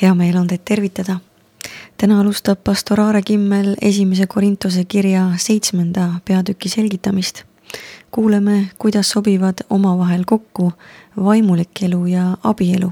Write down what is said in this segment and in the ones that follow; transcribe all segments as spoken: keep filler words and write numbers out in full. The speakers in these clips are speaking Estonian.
Hea meel on teid tervitada. Täna alustab pastor Aare Kimmel esimese Korintuse kirja seitsmenda peatüki selgitamist. Kuuleme, kuidas sobivad omavahel kokku vaimulik elu ja abielu.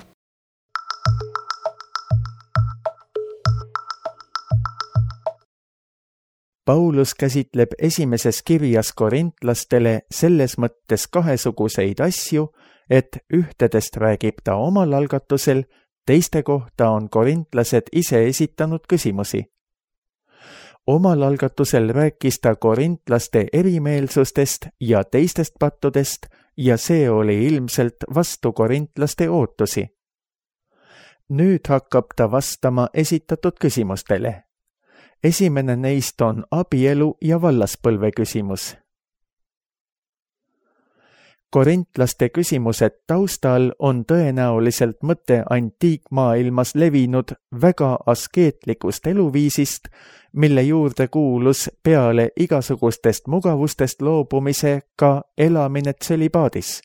Paulus käsitleb esimeses kirjas korintlastele selles mõttes kahesuguseid asju, et ühtedest räägib ta omal algatusel, teiste kohta on korintlased ise esitanud küsimusi. Omal algatusel rääkis ta korintlaste erimeelsustest ja teistest pattudest ja see oli ilmselt vastu korintlaste ootusi. Nüüd hakkab ta vastama esitatud küsimustele. Esimene neist on abielu ja vallaspõlve küsimus. Korintlaste küsimused taustal on tõenäoliselt mõte antiikmaailmas levinud väga askeetlikust eluviisist, mille juurde kuulus peale igasugustest mugavustest loobumise ka elamine tsölibaadis.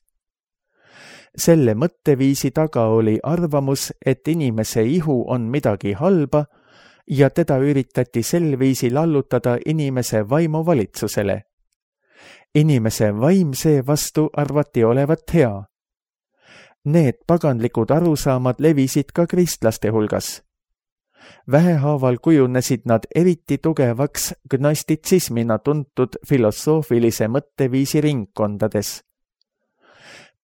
Selle mõtteviisi taga oli arvamus, et inimese ihu on midagi halba ja teda üritati sel viisil allutada inimese vaimuvalitsusele. Inimese vaim seevastu arvati olevat hea. Need paganlikud arusaamad levisid ka kristlaste hulgas. Vähehaaval kujunesid nad eriti tugevaks gnostitsismina tuntud filosoofilise mõtteviisi ringkondades.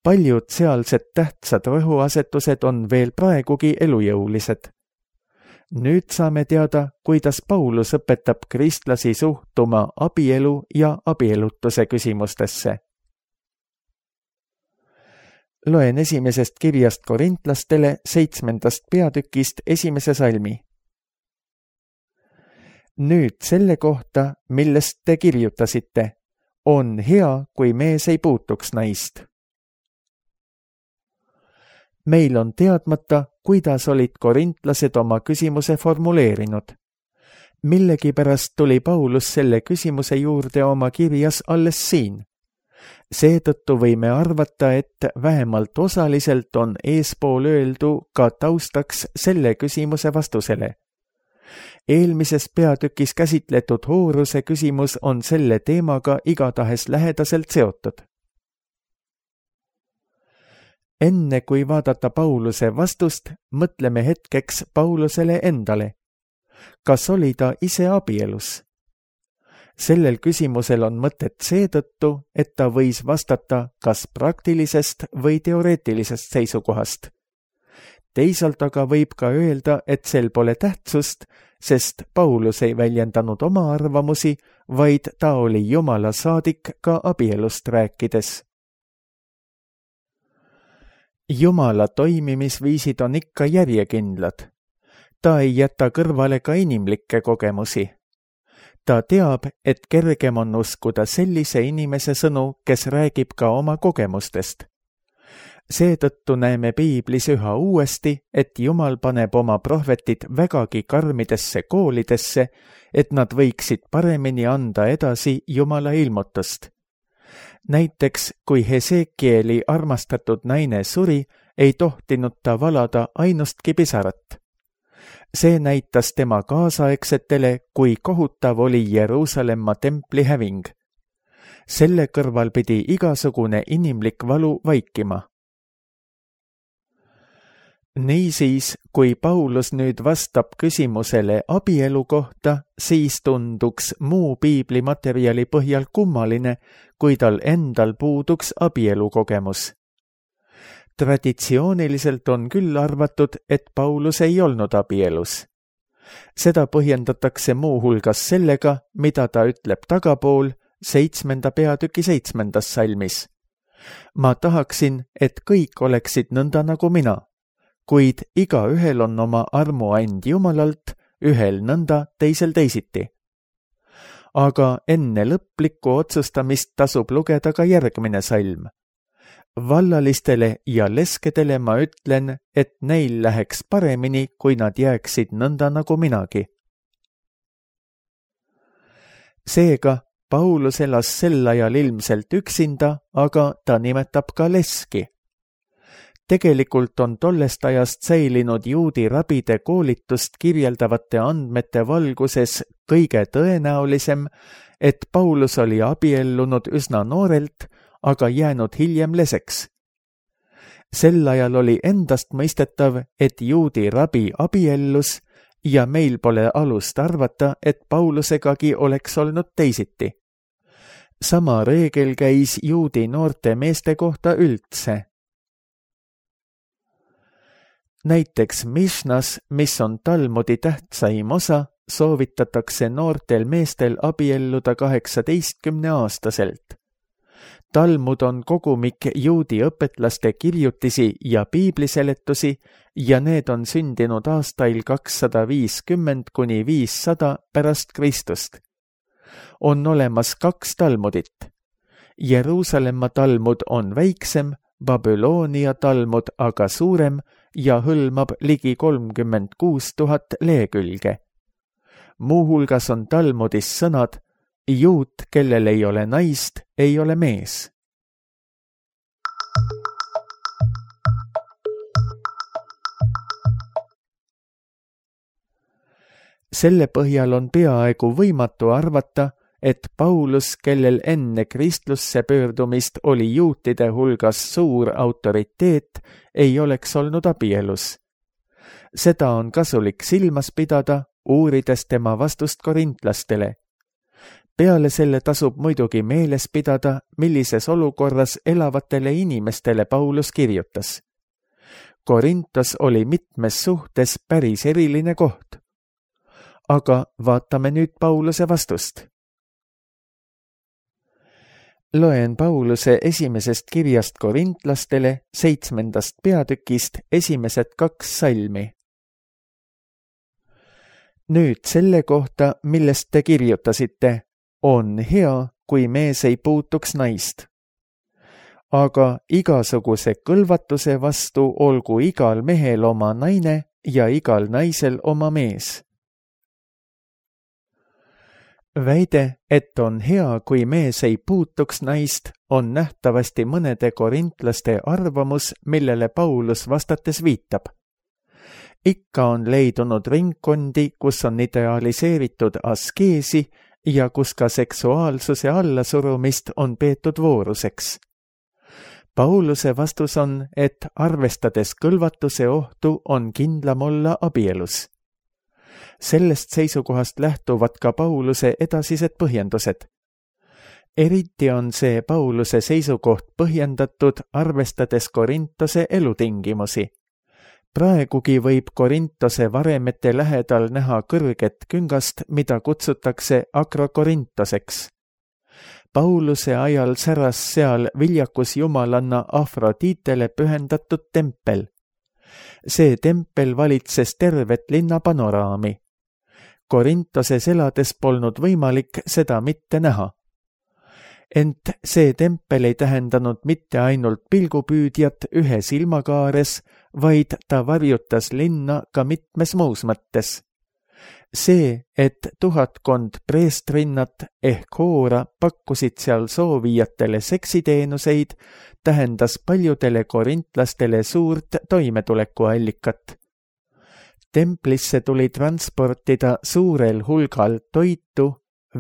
Paljud sealsed tähtsad rõhuasetused on veel praegugi elujõulised. Nüüd saame teada, kuidas Paulus õpetab kristlasi suhtuma abielu ja abielutuse küsimustesse. Loen esimesest kirjast korintlastele seitsmendast peatükist esimese salmi. Nüüd selle kohta, millest te kirjutasite, on hea, kui mees ei puutuks naist. Meil on teadmata, kuidas olid korintlased oma küsimuse formuleerinud. Millegipärast tuli Paulus selle küsimuse juurde oma kirjas alles siin. Seetõttu võime arvata, et vähemalt osaliselt on eespool öeldu ka taustaks selle küsimuse vastusele. Eelmises peatükis käsitletud hooruse küsimus on selle teemaga igatahes lähedaselt seotud. Enne kui vaadata Pauluse vastust, mõtleme hetkeks Paulusele endale. Kas oli ta ise abielus? Sellel küsimusel on mõtet seetõttu, et ta võis vastata kas praktilisest või teoreetilisest seisukohast. Teisalt aga võib ka öelda, et sel pole tähtsust, sest Paulus ei väljendanud oma arvamusi, vaid ta oli Jumala saadik ka abielust rääkides. Jumala toimimisviisid on ikka järjekindlad. Ta ei jäta kõrvale ka inimlikke kogemusi. Ta teab, et kergem on uskuda sellise inimese sõnu, kes räägib ka oma kogemustest. Seetõttu näeme Piiblis üha uuesti, et Jumal paneb oma prohvetid vägagi karmidesse koolidesse, et nad võiksid paremini anda edasi Jumala ilmutust. Näiteks, kui Hesekieli armastatud naine suri, ei tohtinud ta valada ainustki pisarat. See näitas tema kaasaegsetele, kui kohutav oli Jeruusalemma templi häving. Selle kõrval pidi igasugune inimlik valu vaikima. Niisiis, kui Paulus nüüd vastab küsimusele abielu kohta, siis tunduks muu piiblimaterjali põhjal kummaline, kui tal endal puuduks abielu kogemus. Traditsiooniliselt on küll arvatud, et Paulus ei olnud abielus. Seda põhjendatakse muu hulgas sellega, mida ta ütleb tagapool seitsmenda peatüki seitsmendas salmis. Ma tahaksin, et kõik oleksid nõnda nagu mina. Kuid iga ühel on oma armuand Jumalalt, ühel nõnda, teisel teisiti. Aga enne lõplikku otsustamist tasub lugeda ka järgmine salm. Vallalistele ja leskedele ma ütlen, et neil läheks paremini, kui nad jääksid nõnda nagu minagi. Seega, Paulus elas sel ajal ilmselt üksinda, aga ta nimetab ka leski. Tegelikult on tollest ajast säilinud juudi rabide koolitust kirjeldavate andmete valguses kõige tõenäolisem, et Paulus oli abiellunud üsna noorelt, aga jäänud hiljem leseks. Sel ajal oli endast mõistetav, et juudi rabi abiellus ja meil pole alust arvata, et Paulusegagi oleks olnud teisiti. Sama reegel käis juudi noorte meeste kohta üldse. Näiteks Mishnas, mis on Talmudi tähtsaim osa, soovitatakse noortel meestel abielluda kaheksateistkümne aastaselt. Talmud on kogumik juudi õpetlaste kirjutisi ja piibliseletusi ja need on sündinud aastail kakssada viiskümmend kuni viissada pärast Kristust. On olemas kaks Talmudit. Jeruusalemma Talmud on väiksem, Babyloonia Talmud aga suurem ja hõlmab ligi kolmkümmend kuus tuhat lehekülge. Muuhulgas on Talmudis sõnad, juut, kellel ei ole naist, ei ole mees. Selle põhjal on peaaegu võimatu arvata, et Paulus, kellel enne kristlusse pöördumist oli juutide hulgas suur autoriteet, ei oleks olnud abielus. Seda on kasulik silmas pidada, uurides tema vastust korintlastele. Peale selle tasub muidugi meeles pidada, millises olukorras elavatele inimestele Paulus kirjutas. Korintos oli mitmes suhtes päris eriline koht. Aga vaatame nüüd Pauluse vastust. Loen Pauluse esimesest kirjast korintlastele seitsmendast peatükist esimesed kaks salmi. Nüüd selle kohta, millest te kirjutasite, on hea, kui mees ei puutuks naist. Aga igasuguse kõlvatuse vastu olgu igal mehel oma naine ja igal naisel oma mees. Väide, et on hea, kui mees ei puutuks naist, on nähtavasti mõnede korintlaste arvamus, millele Paulus vastates viitab. Ikka on leidunud ringkondi, kus on idealiseeritud askeesi ja kus ka seksuaalsuse allasurumist on peetud vooruseks. Pauluse vastus on, et arvestades kõlvatuse ohtu on kindlam olla abielus. Sellest seisukohast lähtuvad ka Pauluse edasised põhjendused. Eriti on see Pauluse seisukoht põhjendatud, arvestades Korintose elutingimusi. Praegugi võib Korintose varemete lähedal näha kõrget küngast, mida kutsutakse Akrokorintoseks. Pauluse ajal säras seal viljakus jumalanna Afroditele pühendatud tempel. See tempel valitses tervet linna panoraami. Korintoses elades polnud võimalik seda mitte näha. Ent see tempel ei tähendanud mitte ainult pilgupüüdjat ühe silmakaares, vaid ta varjutas linna ka mitmes muus mõttes. See, et tuhatkond preestrinnat ehk hoora pakkusid seal soovijatele seksiteenuseid, tähendas paljudele korintlastele suurt toimetulekuallikat. Templisse tuli transportida suurel hulgal toitu,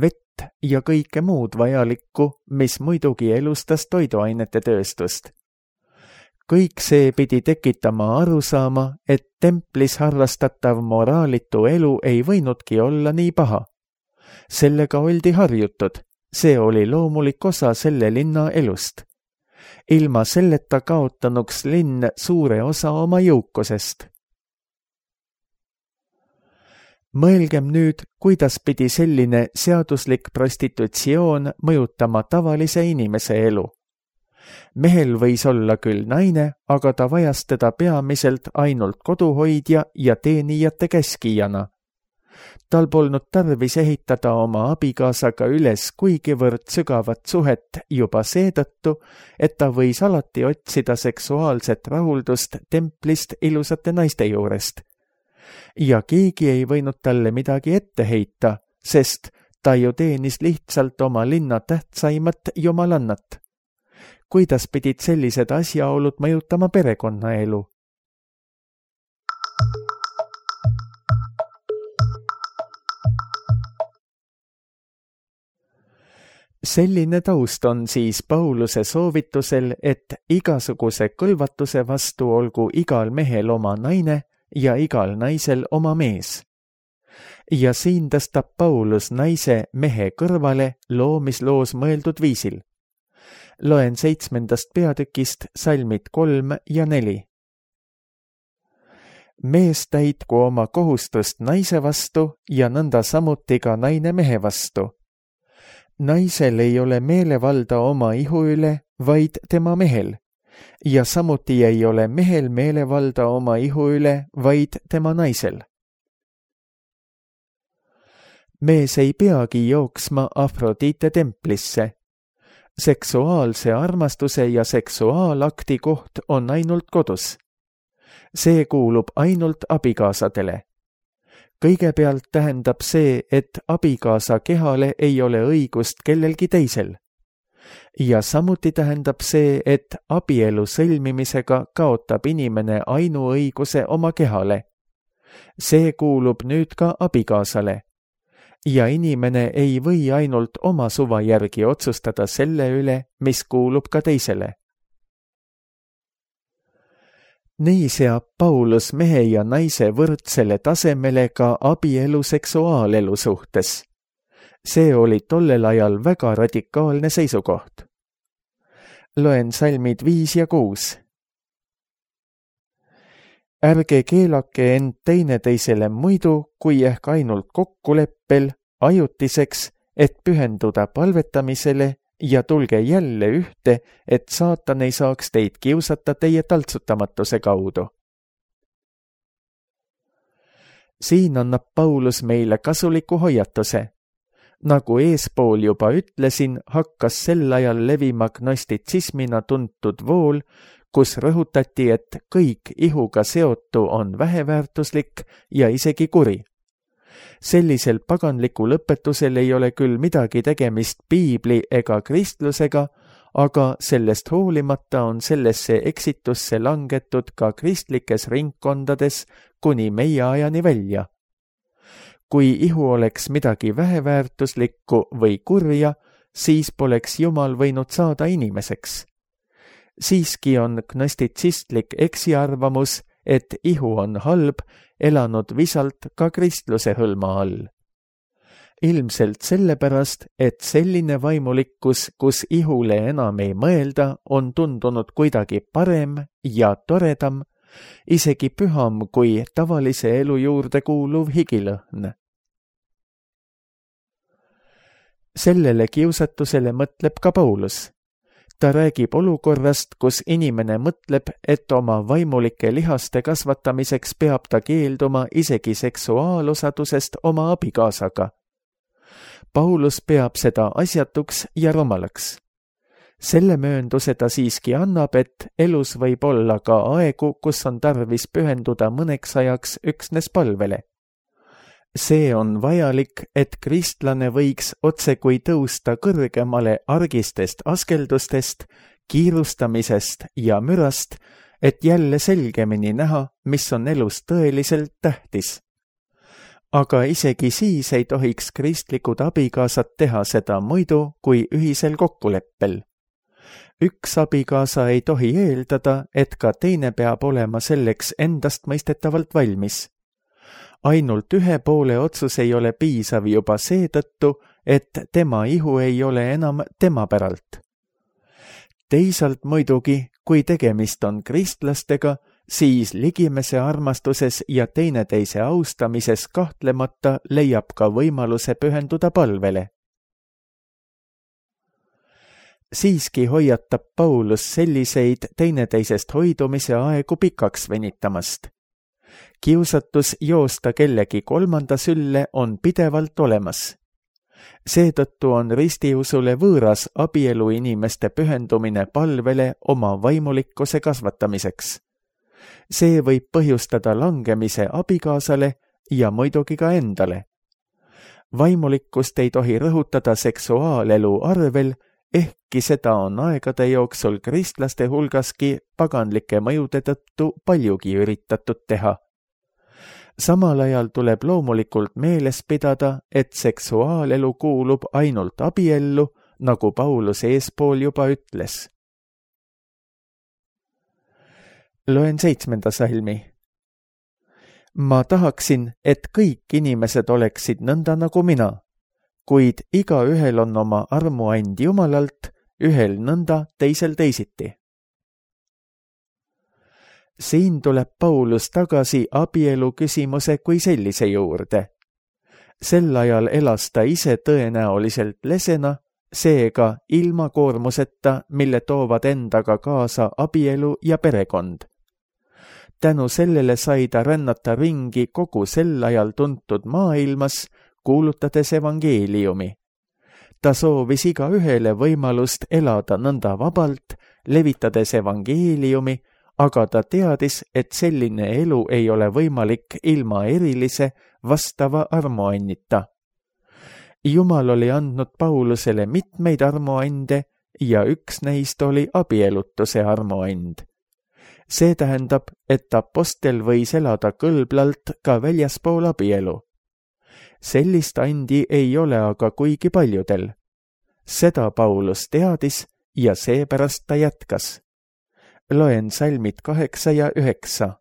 vett ja kõike muud vajalikku, mis muidugi elustas toiduainete tööstust. Kõik see pidi tekitama arusaama, et templis harrastatav moraalitu elu ei võinudki olla nii paha. Sellega oldi harjutud, see oli loomulik osa selle linna elust. Ilma selleta kaotanuks linn suure osa oma jõukusest. Mõelgem nüüd, kuidas pidi selline seaduslik prostitutsioon mõjutama tavalise inimese elu. Mehel võis olla küll naine, aga ta vajas teda peamiselt ainult koduhoidja ja teenijate käskijana. Tal polnud tarvis ehitada oma abikaasaga üles kuigivõrd sügavat suhet juba seetõttu, et ta võis alati otsida seksuaalset rahuldust templist ilusate naiste juurest. Ja keegi ei võinud talle midagi ette heita, sest ta ju teenis lihtsalt oma linna tähtsaimat jumalannat. kuidas pidid sellised asjaolud mõjutama perekonnaelu? Selline taust on siis Pauluse soovitusel, et igasuguse kõlvatuse vastu olgu igal mehel oma naine ja igal naisel oma mees. Ja siin tõstab Paulus naise mehe kõrvale loomisloos mõeldud viisil. Loen seitsmendast peatükist salmid kolm ja neli. Mees täitku oma kohustust naise vastu ja nõnda samuti ka naine mehe vastu. Naisel ei ole meelevalda oma ihu üle, vaid tema mehel, ja samuti ei ole mehel meelevalda oma ihu üle, vaid tema naisel. Mees ei peagi jooksma Afrodite templisse. Seksuaalse armastuse ja seksuaalakti koht on ainult kodus. See kuulub ainult abikaasadele. Kõigepealt tähendab see, et abikaasa kehale ei ole õigust kellelgi teisel. Ja samuti tähendab see, et abielu sõlmimisega kaotab inimene ainuõiguse oma kehale. See kuulub nüüd ka abikaasale. Ja inimene ei või ainult oma suva järgi otsustada selle üle, mis kuulub ka teisele. Nii seab Paulus mehe ja naise võrdsele tasemele ka abielu seksuaalelu suhtes. See oli tollel ajal väga radikaalne seisukoht. Loen salmid viis ja kuus. Ärge keelake end teineteisele muidu, kui ehk ainult kokkuleppel, ajutiseks, et pühenduda palvetamisele ja tulge jälle ühte, et saatan ei saaks teid kiusata teie taltsutamatuse kaudu. Siin annab Paulus meile kasuliku hoiatuse. Nagu eespool juba ütlesin, hakkas sel ajal levima gnostitsismina tuntud vool, kus rõhutati, et kõik ihuga seotu on väheväärtuslik ja isegi kuri. Sellisel paganlikul õpetusel ei ole küll midagi tegemist piibli ega kristlusega, aga sellest hoolimata on sellesse eksitusse langetud ka kristlikes ringkondades kuni meie ajani välja. Kui ihu oleks midagi väheväärtuslikku või kurja, siis poleks Jumal võinud saada inimeseks. Siiski on gnostitsistlik eksiarvamus, et ihu on halb, elanud visalt ka kristluse hõlma all. Ilmselt sellepärast, et selline vaimulikkus, kus ihule enam ei mõelda, on tundunud kuidagi parem ja toredam, isegi püham kui tavalise elu juurde kuuluv higilõhn. Sellele kiusatusele mõtleb ka Paulus. Ta räägib olukorrast, kus inimene mõtleb, et oma vaimulike lihaste kasvatamiseks peab ta keelduma isegi seksuaalosadusest oma abikaasaga. Paulus peab seda asjatuks ja rumalaks. Selle möönduse ta siiski annab, et elus võib olla ka aegu, kus on tarvis pühenduda mõneks ajaks üksnes palvele. See on vajalik, et kristlane võiks otsekui tõusta kõrgemale argistest askeldustest, kiirustamisest ja mürast, et jälle selgemini näha, mis on elus tõeliselt tähtis. Aga isegi siis ei tohiks kristlikud abikaasad teha seda muidu kui ühisel kokkuleppel. Üks abikaasa ei tohi eeldada, et ka teine peab olema selleks endastmõistetavalt valmis. Ainult ühe poole otsus ei ole piisav juba seetõttu, et tema ihu ei ole enam tema päralt. Teisalt muidugi, kui tegemist on kristlastega, siis ligimese armastuses ja teineteise austamises kahtlemata leiab ka võimaluse pühenduda palvele. Siiski hoiatab Paulus selliseid teineteisest hoidumise aegu pikaks venitamast. Kiusatus joosta kellegi kolmanda sülle on pidevalt olemas. Seetõttu on ristiusule võõras abielu inimeste pühendumine palvele oma vaimulikkuse kasvatamiseks. See võib põhjustada langemise abikaasale ja muidugi ka endale. Vaimulikkust ei tohi rõhutada seksuaalelu arvel ehkki seda on aegade jooksul kristlaste hulgaski paganlike mõjude tõttu paljugi üritatud teha. Samal ajal tuleb loomulikult meeles pidada, et seksuaalelu kuulub ainult abiellu, nagu Paulus eespool juba ütles. Loen seitsmenda salmi. Ma tahaksin, et kõik inimesed oleksid nõnda nagu mina, kuid igaühel on oma armuand Jumalalt, ühel nõnda, teisel teisiti. Siin tuleb Paulus tagasi abielu küsimuse kui sellise juurde. Sel ajal elas ta ise tõenäoliselt lesena, seega ilma koormuseta, mille toovad endaga kaasa abielu ja perekond. Tänu sellele sai ta rännata ringi kogu sel ajal tuntud maailmas, kuulutades evangeeliumi. Ta soovis iga ühele võimalust elada nõnda vabalt, levitades evangeeliumi, aga ta teadis, et selline elu ei ole võimalik ilma erilise vastava armuannita. Jumal oli andnud Paulusele mitmeid armuande ja üks neist oli abielutuse armuand. See tähendab, et apostel võis elada kõlblalt ka väljaspool abielu. Sellist andi ei ole aga kuigi paljudel. Seda Paulus teadis ja seepärast ta jätkas. Loen salmid kaheksa ja üheksa.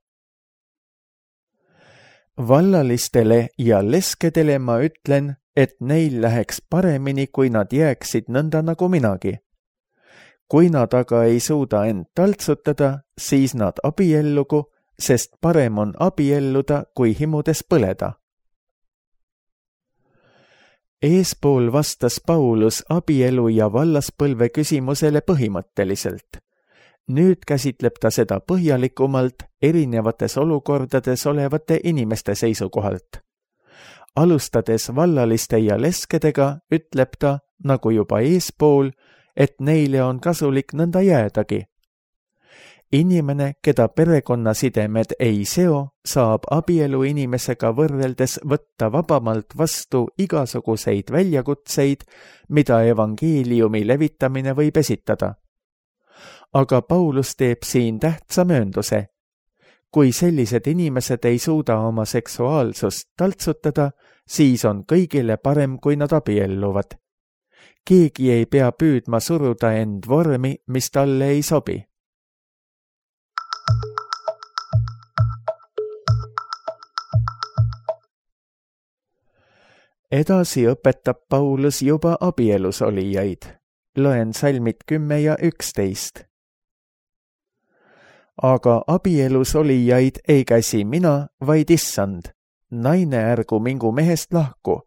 Vallalistele ja leskedele ma ütlen, et neil läheks paremini, kui nad jääksid nõnda nagu minagi. Kui nad aga ei suuda end taltsutada, siis nad abiellugu, sest parem on abielluda, kui himudes põleda. Eespool vastas Paulus abielu ja vallaspõlve küsimusele põhimõtteliselt. Nüüd käsitleb ta seda põhjalikumalt erinevates olukordades olevate inimeste seisukohalt. Alustades vallaliste ja leskedega, ütleb ta, nagu juba eespool, et neile on kasulik nõnda jäädagi. Inimene, keda perekonnasidemed ei seo, saab abielu inimesega võrreldes võtta vabamalt vastu igasuguseid väljakutseid, mida evangeeliumi levitamine võib esitada. Aga Paulus teeb siin tähtsa möönduse. Kui sellised inimesed ei suuda oma seksuaalsust taltsutada, siis on kõigile parem, kui nad abielluvad. Keegi ei pea püüdma suruda end vormi, mis talle ei sobi. Edasi õpetab Paulus juba abielus olijaid. Loen salmid kümme ja üksteist. Aga abielus olijaid ei käsi mina, vaid issand. Naine ärgu mingu mehest lahku.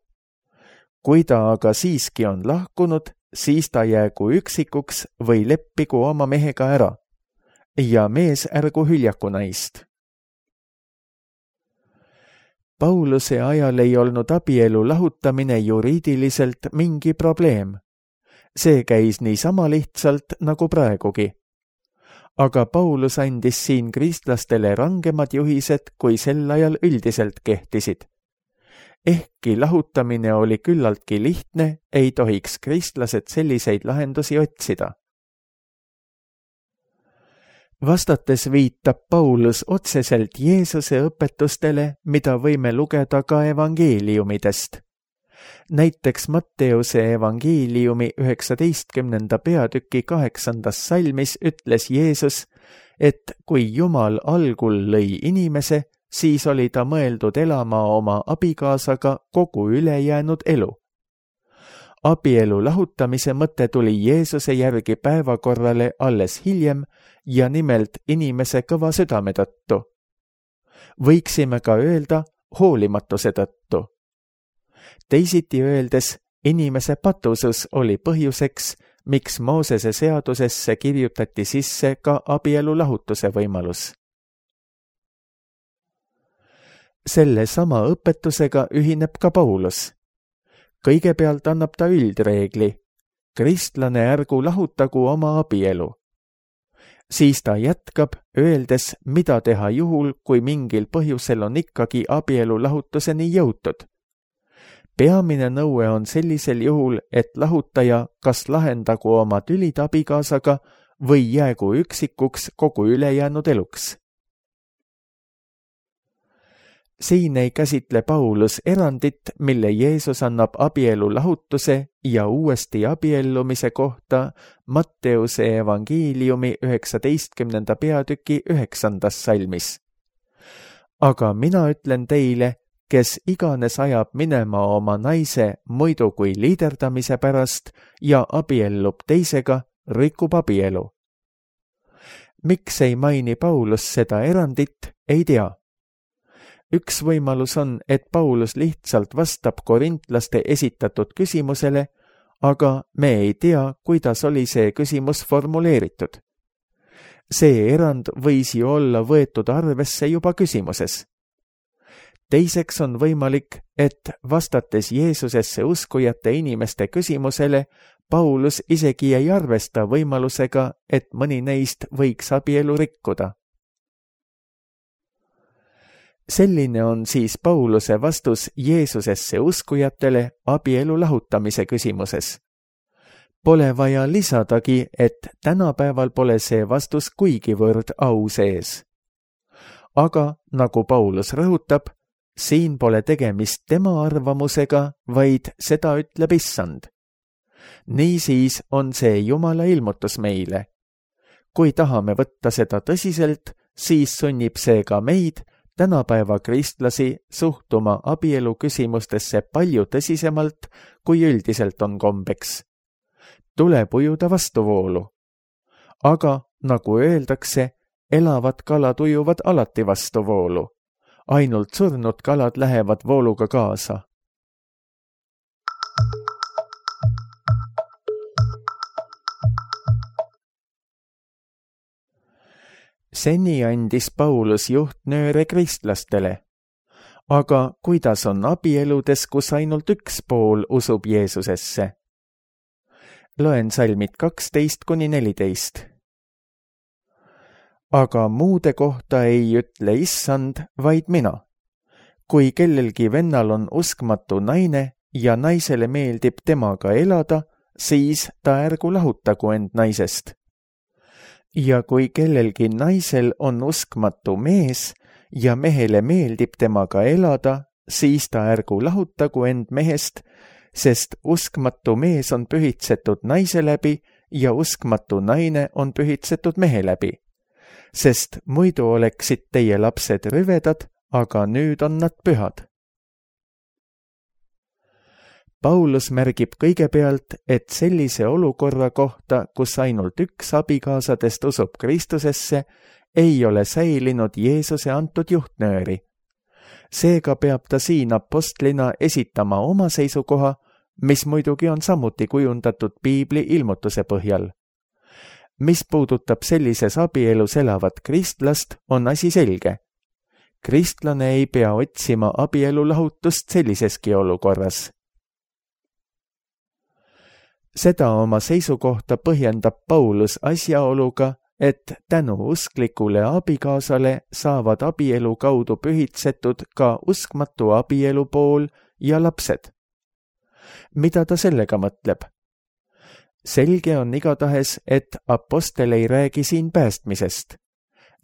Kui ta aga siiski on lahkunud, siis ta jäägu üksikuks või leppigu oma mehega ära. Ja mees ärgu hüljaku naist. Pauluse ajal ei olnud abielu lahutamine juriidiliselt mingi probleem. See käis niisama lihtsalt nagu praegugi. Aga Paulus andis siin kristlastele rangemad juhised, kui sel ajal üldiselt kehtisid. Ehkki lahutamine oli küllaltki lihtne, ei tohiks kristlased selliseid lahendusi otsida. Vastates viitab Paulus otseselt Jeesuse õpetustele, mida võime lugeda ka evangeeliumidest. Näiteks Matteuse evangeeliumi üheksateistkümnenda peatüki kaheksandas salmis ütles Jeesus, et kui Jumal algul lõi inimese, siis oli ta mõeldud elama oma abikaasaga kogu ülejäänud elu. Abielu lahutamise mõte tuli Jeesuse järgi päevakorrale alles hiljem ja nimelt inimese kõva südame tõttu. Võiksime ka öelda hoolimatuse tõttu. Teisiti öeldes, inimese patusus oli põhjuseks, miks Moosese seadusesse kirjutati sisse ka abielu lahutuse võimalus. Selle sama õpetusega ühineb ka Paulus. Kõigepealt annab ta üldreegli. Kristlane ärgu lahutagu oma abielu. Siis ta jätkab, öeldes, mida teha juhul, kui mingil põhjusel on ikkagi abielu lahutuseni jõutud. peamine nõue on sellisel juhul, et lahutaja kas lahendagu oma tülid abikaasaga või jäägu üksikuks kogu ülejäänud eluks. Siin ei käsitle Paulus erandit, mille Jeesus annab abielu lahutuse ja uuesti abiellumise kohta Matteuse evangeeliumi üheksateistkümnenda peatüki üheksandas salmis. Aga mina ütlen teile, kes iganes ajab minema oma naise muidu kui liiderdamise pärast ja abiellub teisega, rikub abielu. Miks ei maini Paulus seda erandit, ei tea. Üks võimalus on, et Paulus lihtsalt vastab korintlaste esitatud küsimusele, aga me ei tea, kuidas oli see küsimus formuleeritud. See erand võis ju olla võetud arvesse juba küsimuses. Teiseks on võimalik, et vastates Jeesusesse uskujate inimeste küsimusele, Paulus isegi ei arvesta võimalusega, et mõni neist võiks abielu rikkuda. Selline on siis Pauluse vastus Jeesusesse uskujatele abielu lahutamise küsimuses. Pole vaja lisadagi, et tänapäeval pole see vastus kuigivõrd au sees. Aga, nagu Paulus rõhutab, siin pole tegemist tema arvamusega, vaid seda ütleb Issand. Niisiis on see Jumala ilmutus meile. Kui tahame võtta seda tõsiselt, siis sunnib see ka meid, tänapäeva kristlasi, suhtuma abielu küsimustesse palju tõsisemalt, kui üldiselt on kombeks. Tuleb ujuda vastuvoolu. Aga, nagu öeldakse, elavad kalad ujuvad alati vastuvoolu. Ainult surnud kalad lähevad vooluga kaasa. Seni andis Paulus juhtnööre kristlastele. Aga kuidas on abieludes, kus ainult üks pool usub Jeesusesse? Loen salmid kaksteist kuni neliteist. Aga muude kohta ei ütle Issand, vaid mina. Kui kellelgi vennal on uskmatu naine ja naisele meeldib temaga elada, siis ta ärgu lahutagu end naisest. Ja kui kellelgi naisel on uskmatu mees ja mehele meeldib temaga elada, siis ta ärgu lahutagu end mehest, sest uskmatu mees on pühitsetud naise läbi ja uskmatu naine on pühitsetud mehe läbi. Sest muidu oleksid teie lapsed rüvedad, aga nüüd on nad pühad. Paulus märgib kõigepealt, et sellise olukorra kohta, kus ainult üks abikaasadest usub Kristusesse, ei ole säilinud Jeesuse antud juhtnööri. Seega peab ta siin apostlina esitama oma seisukoha, mis muidugi on samuti kujundatud Piibli ilmutuse põhjal. Mis puudutab sellises abielus elavat kristlast, on asi selge. Kristlane ei pea otsima abielu lahutust selliseski olukorras. Seda oma seisukohta põhjendab Paulus asjaoluga, et tänu usklikule abikaasale saavad abielu kaudu pühitsetud ka uskmatu abielu pool ja lapsed. Mida ta sellega mõtleb? Selge on igatahes, et apostel ei räägi siin päästmisest.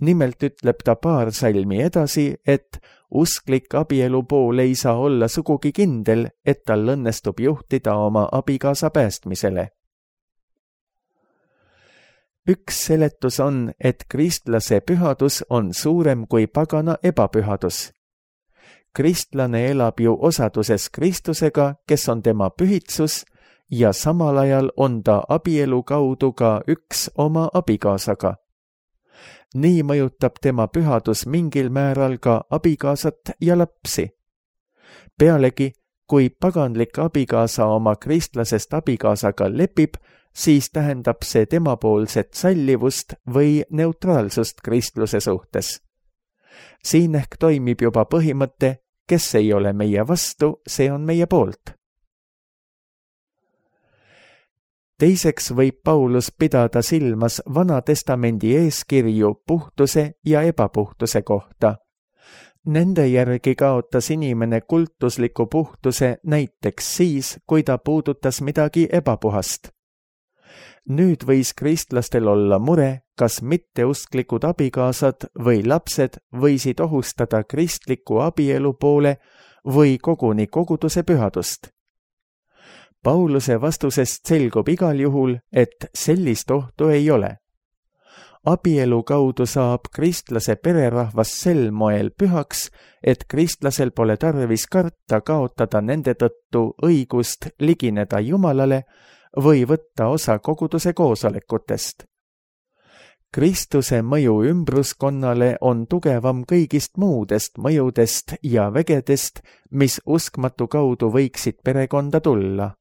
Nimelt ütleb ta paar salmi edasi, et usklik abielu pool ei saa olla sugugi kindel, et tal õnnestub juhtida oma abikaasa päästmisele. Üks seletus on, et kristlase pühadus on suurem kui pagana ebapühadus. Kristlane elab ju osaduses Kristusega, kes on tema pühitsus, ja samal ajal on ta abielu kaudu ka üks oma abikaasaga. Nii mõjutab tema pühadus mingil määral ka abikaasat ja lapsi. Pealegi, kui paganlik abikaasa oma kristlasest abikaasaga lepib, siis tähendab see temapoolset sallivust või neutraalsust kristluse suhtes. Siin ehk toimib juba põhimõte, kes ei ole meie vastu, see on meie poolt. Teiseks võib Paulus pidada silmas Vana Testamendi eeskirju puhtuse ja ebapuhtuse kohta. Nende järgi kaotas inimene kultusliku puhtuse näiteks siis, kui ta puudutas midagi ebapuhast. Nüüd võis kristlastel olla mure, kas mitteusklikud abikaasad või lapsed võisid ohustada kristliku abielu poole või koguni koguduse pühadust. Pauluse vastusest selgub igal juhul, et sellist ohtu ei ole. Abielu kaudu saab kristlase pererahvas sel moel pühaks, et kristlasel pole tarvis karta kaotada nende tõttu õigust ligineda Jumalale või võtta osa koguduse koosolekutest. Kristuse mõju ümbruskonnale on tugevam kõigist muudest mõjudest ja vägedest, mis uskmatu kaudu võiksid perekonda tulla.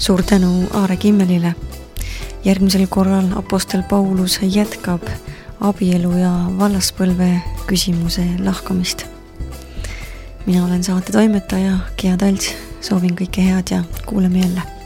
Suur tänu Aare Kimmelile. Järgmisel korral apostel Paulus jätkab abielu ja vallaspõlve küsimuse lahkamist. Mina olen saate toimetaja Gea Talts, soovin kõike head ja kuuleme jälle.